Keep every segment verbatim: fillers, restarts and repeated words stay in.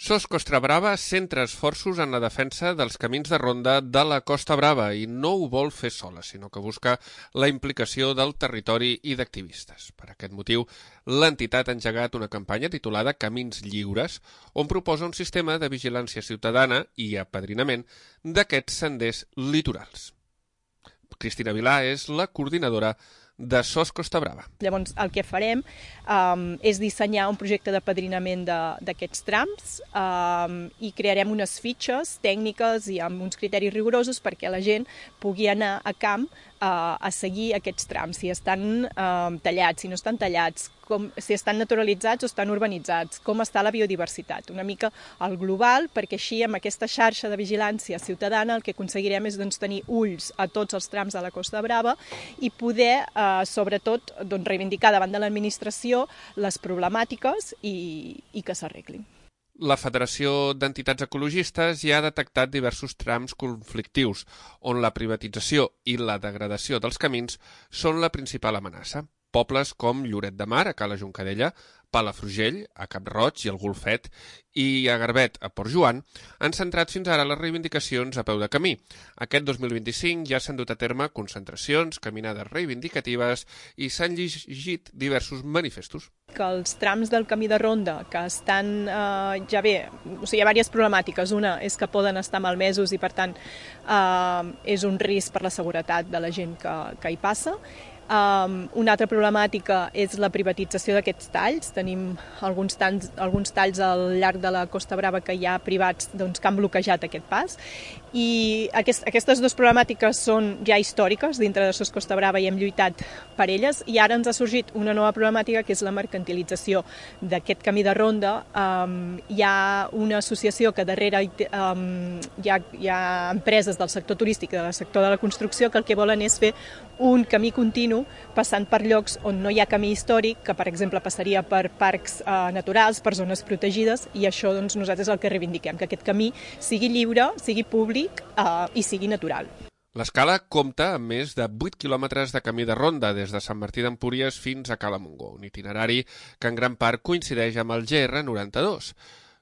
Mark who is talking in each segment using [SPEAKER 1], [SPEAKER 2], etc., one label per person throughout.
[SPEAKER 1] Sos Costa Brava centra esforços en la defensa dels camins de ronda de la Costa Brava i no ho vol fer sola, sinó que busca la implicació del territori i d'activistes. Per aquest motiu, l'entitat ha engegat una campanya titulada Camins Lliures, on proposa un sistema de vigilància ciutadana i apadrinament d'aquests senders litorals. Cristina Vilà és la coordinadora de Sos Costa Brava.
[SPEAKER 2] Llavors, el que farem um, és dissenyar un projecte d'apadrinament d'aquests trams um, i crearem unes fitxes tècniques i amb uns criteris rigorosos perquè la gent pugui anar a camp uh, a seguir aquests trams, si estan uh, tallats, si no estan tallats, com, si estan naturalitzats o estan urbanitzats, com està la biodiversitat, una mica al global, perquè així amb aquesta xarxa de vigilància ciutadana el que aconseguirem és doncs, tenir ulls a tots els trams de la Costa Brava i poder uh, sobretot doncs, reivindicar davant de l'administració les problemàtiques i, i que s'arreglin.
[SPEAKER 1] La Federació d'Entitats Ecologistes ja ha detectat diversos trams conflictius, on la privatització i la degradació dels camins són la principal amenaça. Pobles com Lloret de Mar, a Cala Juncadella, Palafrugell, a Cap-roig i el Golfet, i a Garbet, a Port Joan, han centrat fins ara les reivindicacions a peu de camí. Aquest dos mil vint-i-cinc ja s'han dut a terme concentracions, caminades reivindicatives i s'han llegit diversos manifestos.
[SPEAKER 2] Que els trams del camí de ronda, que estan eh, ja bé, o sigui, hi ha diverses problemàtiques. Una és que poden estar malmesos i, per tant, eh, és un risc per la seguretat de la gent que, que hi passa. Um, una altra problemàtica és la privatització d'aquests talls. Tenim alguns talls, alguns talls al llarg de la Costa Brava que hi ha privats doncs, que han bloquejat aquest pas. I aquest, aquestes dues problemàtiques són ja històriques dintre de Sos Costa Brava i hem lluitat per elles. I ara ens ha sorgit una nova problemàtica que és la mercantilització d'aquest camí de ronda. Um, hi ha una associació que darrere um, hi, ha, hi ha empreses del sector turístic i del sector de la construcció que el que volen és fer un camí continu passant per llocs on no hi ha camí històric, que per exemple passaria per parcs eh, naturals, per zones protegides, i això doncs, nosaltres el que reivindiquem, que aquest camí sigui lliure, sigui públic eh, i sigui natural.
[SPEAKER 1] L'Escala compta amb més de vuit quilòmetres de camí de ronda des de Sant Martí d'Empúries fins a Cala Montgó, un itinerari que en gran part coincideix amb el G R noranta-dos.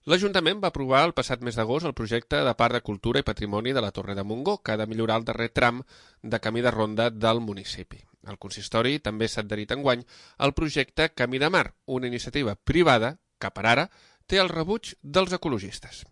[SPEAKER 1] L'Ajuntament va aprovar el passat mes d'agost el projecte de Parc de Cultura i Patrimoni de la Torre de Montgó, que ha de millorar el darrer tram de camí de ronda del municipi. El consistori també s'ha adherit enguany al projecte Camí de Mar, una iniciativa privada que, per ara, té el rebuig dels ecologistes.